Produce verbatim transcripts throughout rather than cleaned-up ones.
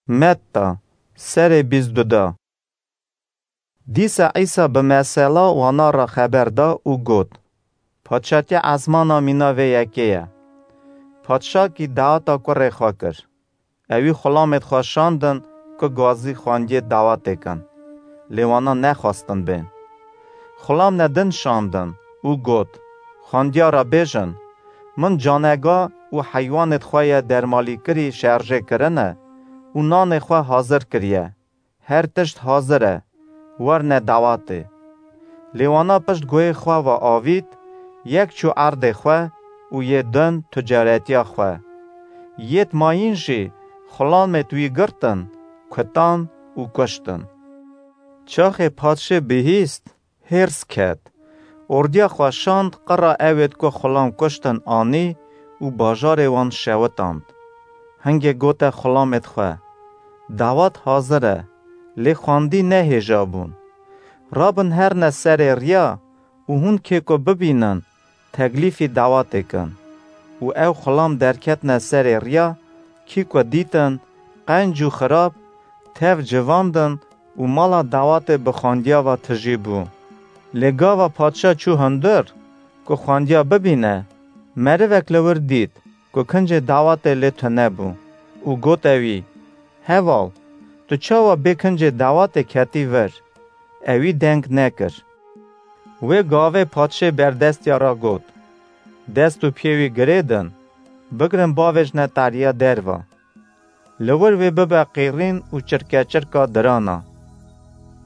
Metta, serê bîst du da. Dîsa Îsa bi mesela wana re xeber da û got, Padşatiya ezmana mîna vê yekê ye. Padşakî daweta kurê xwe kir. Ewî xulamêd xwe şandin ku gazî xwendiyê dawetê kin. Lê wana nexwestin bên. Xulamne din şandin û got, Xwendiya re bêjin, min canega û heywanêd xwe ye dermalîkirî şerjê kirine û nanê xwe hazir kiriye. Her tişt hazir e, werne dawetê. Lê wana pişt guhê xwe ve avît, yek çû erdê xwe û yê din ticaretiya xwe. Yêd mayîn jî xulamêd wî girtin, kutan û kuştin. Çaxê padşê bihîst, hêrs ket. Ordiya xwe şand, qira ewêd ku xulam kuştin anî û bajarê wan şewitand. Hingê gote xulamêd xwe, Dawet hazir e, lê xwendî ne hêja bûn. Rabin herne serê riya û hûn kê ku bibînin, teklîfî dawetê kin. Û ew xulam derketine serê riya, kî ku dîtin, qenc û xirab, tev civandin û mala dawetê bi xwendiya ve tijî bû. Lê gava padşa çû hundir, ku xwendiya bibîne, merivek li wir dît, ku kincê dawetê lê tune bû û gote wî, Heval, tu çawa bê kincê dawetê ketî vir? Ewî deng nekir. Wê gavê padşê berdestiya re got, Dest û piyê wî girêdin, bigirin bavêjne tariya derva. Li wir wê bibe qîrîn û çirkeçirka dirana.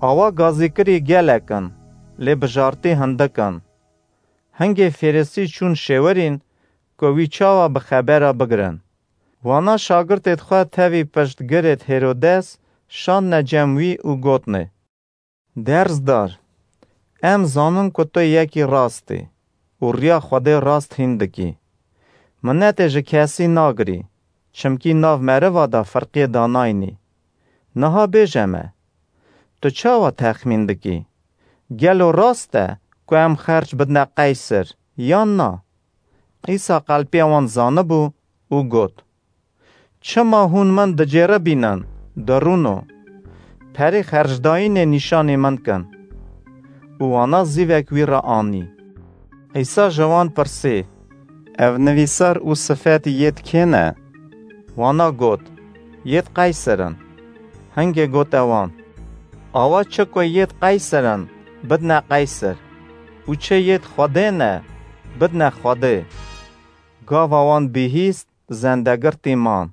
Awa gazîkirî gelek in, lê bijartî hindik in. Hingê Fêrisî çûn şêwirîn ku wî çawa bi xebera bigirin. Wana şagirtêd xwe tevî piştgirêd Hêrodes şandine cem wî û gotnê, Derzdar, em zanin ku tu yekî rast î û riya Xwedê rast hîn dikî. Minetê ji kesî nagirî, çimkî nav meriva de firqiyê danayînî. Niha bêje me, tu çawa texmîn dikî? Gelo rast e ku em xerc bidine Qeyser, yan na? Îsa qelpiya wan zanibû û got, Çima hûn min diceribînin, dirûno? Perê xercdayînê nîşanî min kin. Û wana zîvek wî re anî. Îsa ji wan pirsî, Ev nivîsar û sifet yêd kê ne? Wana got, Yêd Qeyser in. Hingê gote wan, Awa çi ku yêd Qeyser in, bidine Qeyser û çi yêd Xwedê ne, bidine Xwedê. Gava wan bihîst, zendegirtî man.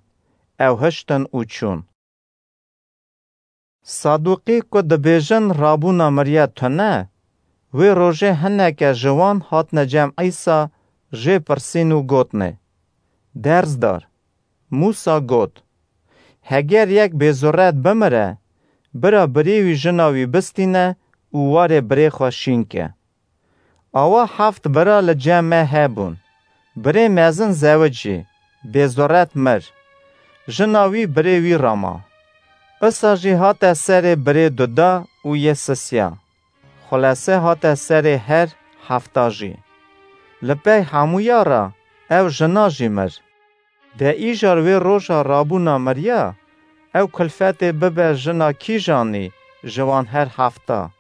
Ew hiştin û çûn. Sadûqî ku dibêjin rabûna miriye tune, wê rojê hineke ji wan hatine cem Îsa, jê pirsîn û gotnê, Derzdar, Mûsa got, Heger yek bêzuret bimire, bira birê wî jina wî bistîne û warê birê xwe şîn ke. Awa heft bira li cem me hebûn. Birê mezin zewicî, bêzuret mir. Jina wî birê wî re ma. Isa jî hate serê birê duda û yê sisiya. Xulese hate serê her hefta jî. Li pey hemûya re ew jina jî mir. De îcar wê roja rabûna miriya, ew kulfetê bibe jina kîjanî ji wan her hefta?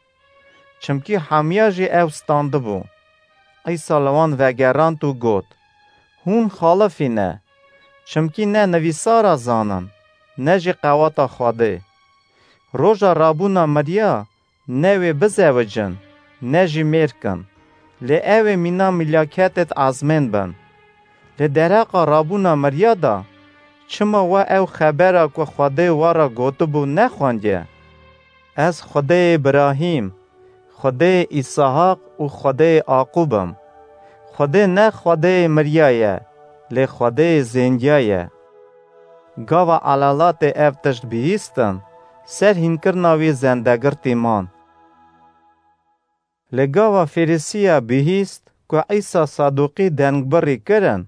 Çimkî hemiya jî ew standibû. Îsa li wan vegerand û got, Hûn xalifî ne, çimkî ne nivîsara zanin, ne jî qeweta Xwedê. Roja rabûna miriya ne wê bizewicin, ne jî mêr kin, lê ew ê mîna milaketêd ezmên bin. Lê dereqa rabûna miriya de, çima we ew xebera ku Xwedê we re gotibû nexwendiye? Ez Xwedê Îbrahîm, Xwedê Îsahaq û Xwedê Aqûb im. Xwedê ne Xwedê miriya ye, lê Xwedê zêndiya ye. Gava elalatê ev tişt bihîstin, ser hînkirina wî zendegirtî man. Lê gava Fêrisiya bihîst ku Îsa Sadûqî dengbirî kirin,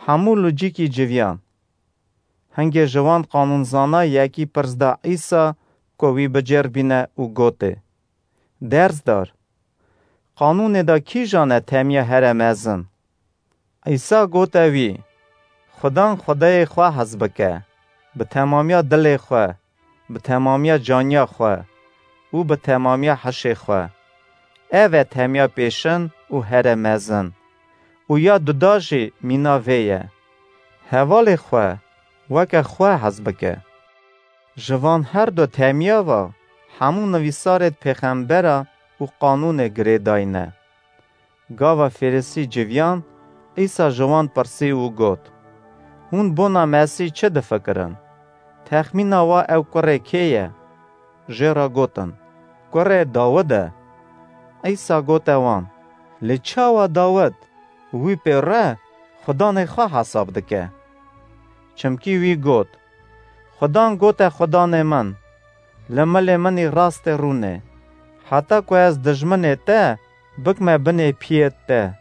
hemû li cîkî civiyan. Hingê ji wan qanûnzana yekî pirs da Îsa ku wî bicêrbîne û gotê, Derzdar, qanûnê de kîjan e temiya here mezin? Îsa gote wî, Xudan Xwedayê xwe hez bike, bi temamiya dilê xwe, bi temamiya caniya xwe û bi temamiya hişê xwe. Ev e temiya pêşin û here mezin. Û ya duda jî mîna vê ye. Hevalê xwe weke xwe hez bike. Ji van her du temiya ve hemû nivîsarêd pêxembera û qanûnê girêdayî ne. Gava Fêrisî civiyan, Îsa ji wan pirsî û got, "Hûn bona Mesîh çi difikirin? Texmîna wa ew kurê kê ye?" Jê re gotin, "Kurê Dawid e." Îsa gote wan, "Lê çawa Dawid wî pê re Xudanê xwe hesab dike? Çimkî wî got, 'Xudan gote Xudanê min, li milê min î rastê rûnê, heta ku ez dijminê te bikme binê piyê te.'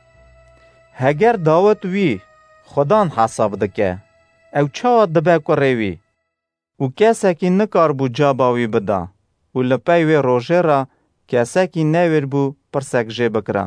Heger Dawid wî Xudan hesab dike, ew çawa dibe kurê wî?" Û kesekî nikaribû caba wî bida û li pey wê rojê re kesekî newêr bû pirsek jê bikira.